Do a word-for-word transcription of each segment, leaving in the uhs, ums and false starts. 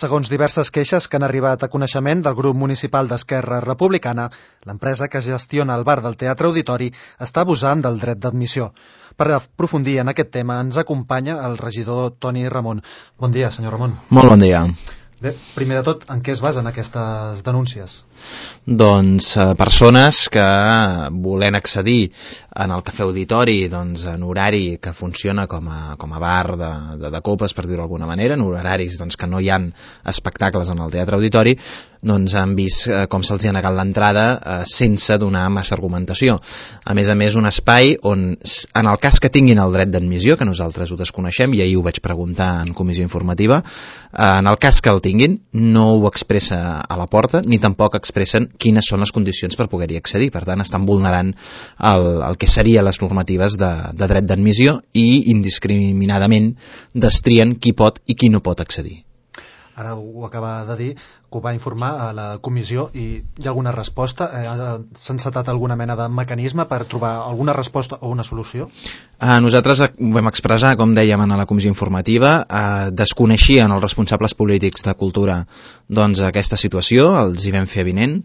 Segons diverses queixes que han arribat a coneixement del grup municipal d'Esquerra Republicana, l'empresa que gestiona el bar del Teatre Auditori està abusant del dret d'admissió. Per aprofundir en aquest tema ens acompanya el regidor Toni Ramon. Bon dia, senyor Ramon. Molt bon dia. Bé, primer de tot, en què es basen aquestes denúncies? Doncs eh, persones que volen accedir en el Cafè Auditori doncs, en horari que funciona com a, com a bar de, de, de copes, per dir-ho d'alguna manera, en horaris doncs, que no hi ha espectacles en el Teatre Auditori, doncs han vist eh, com se'ls ha negat l'entrada eh, sense donar massa argumentació. A més a més, un espai on, en el cas que tinguin el dret d'admissió, que nosaltres ho desconeixem, i ahir ho vaig preguntar en comissió informativa, eh, en el cas que el tinguin, no ho expressa a la porta, ni tampoc expressen quines són les condicions per poder-hi accedir. Per tant, estan vulnerant el, el que serien les normatives de, de dret d'admissió i indiscriminadament destrien qui pot i qui no pot accedir. Ara ho acaba de dir, que ho va informar a la comissió, i hi ha alguna resposta? S'ha encetat alguna mena de mecanisme per trobar alguna resposta o una solució? Eh, nosaltres ho vam expressar, com dèiem a la comissió informativa, eh, desconeixien els responsables polítics de cultura doncs, aquesta situació, els hi vam fer avinent,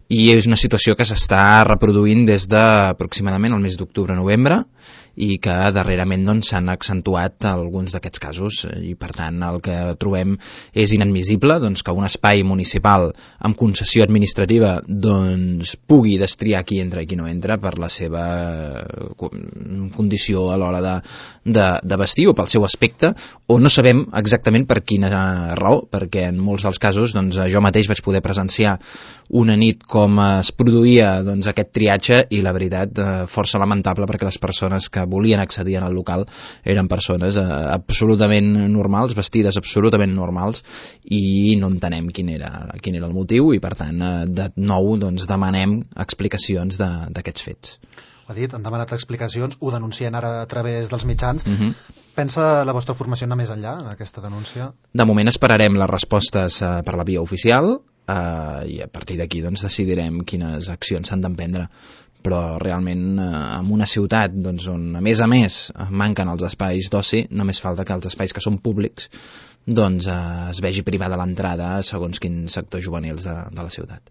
i és una situació que s'està reproduint des d'aproximadament el mes d'octubre-novembre, i que darrerament doncs, s'han accentuat alguns d'aquests casos, i per tant el que trobem és inadmissible doncs, que un espai municipal amb concessió administrativa doncs, pugui destriar qui entra i qui no entra per la seva condició a l'hora de, de, de vestir o pel seu aspecte, o no sabem exactament per quina raó, perquè en molts dels casos doncs, jo mateix vaig poder presenciar una nit com es produïa doncs, aquest triatge, i la veritat eh, força lamentable, perquè les persones que volien accedir al local eren persones eh, absolutament normals, vestides absolutament normals, i no entenem quin era, quin era el motiu, i per tant eh, de nou doncs, demanem explicacions d'aquests fets. Ho ha dit, han demanat explicacions, ho denuncien ara a través dels mitjans. Uh-huh. Pensa la vostra formació anar més enllà en aquesta denúncia? De moment esperarem les respostes eh, per la via oficial, eh, i a partir d'aquí doncs, decidirem quines accions s'han d'emprendre. Però realment eh, en una ciutat doncs, on a més a més manquen els espais d'oci, només falta que els espais que són públics doncs, eh, es vegi privada l'entrada segons quins sectors juvenils de, de la ciutat.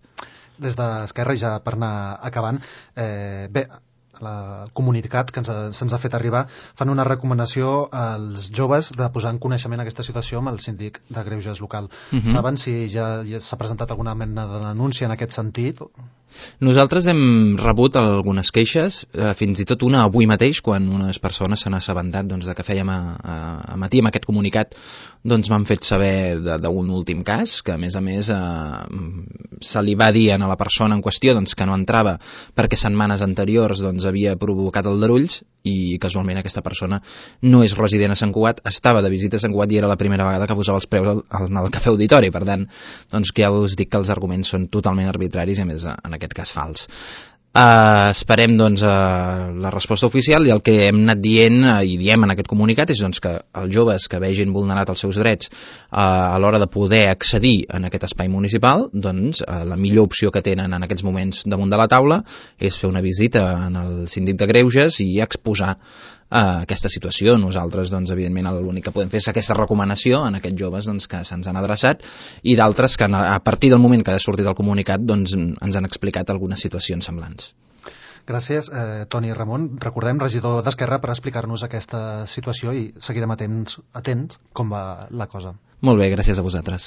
Des d'Esquerra, ja per anar acabant, eh, bé, la, el comunicat que se'ns ha fet arribar fan una recomanació als joves de posar en coneixement aquesta situació amb el síndic de Greuges local. Uh-huh. Saben si ja, ja s'ha presentat alguna mena de denúncia en aquest sentit? Nosaltres hem rebut algunes queixes, eh, fins i tot una avui mateix, quan unes persones s'han assabentat doncs, de que fèiem a, a, a matí amb aquest comunicat, doncs m'han fet saber d'un últim cas, que a més a més eh, se li va dir a la persona en qüestió doncs, que no entrava perquè setmanes anteriors doncs, havia provocat aldarulls, i casualment aquesta persona no és resident a Sant Cugat, estava de visita a Sant Cugat i era la primera vegada que posava els preus al, al, al Cafè Auditori. Per tant, doncs, ja us dic que els arguments són totalment arbitraris i a més en aquest cas fals. Uh, esperem doncs, uh, la resposta oficial, i el que hem anat dient uh, i diem en aquest comunicat és doncs, que els joves que vegin vulnerat els seus drets uh, a l'hora de poder accedir en aquest espai municipal, doncs uh, la millor opció que tenen en aquests moments damunt de la taula és fer una visita en el síndic de Greuges i exposar uh, aquesta situació. Nosaltres doncs, evidentment l'únic que podem fer és aquesta recomanació en aquests joves doncs, que se'ns han adreçat, i d'altres que a partir del moment que ha sortit el comunicat doncs, ens han explicat algunes situacions semblants. Gràcies, eh, Toni Ramon. Recordem, regidor d'Esquerra, per explicar-nos aquesta situació, i seguirem atents, atents com va la cosa. Molt bé, gràcies a vosaltres.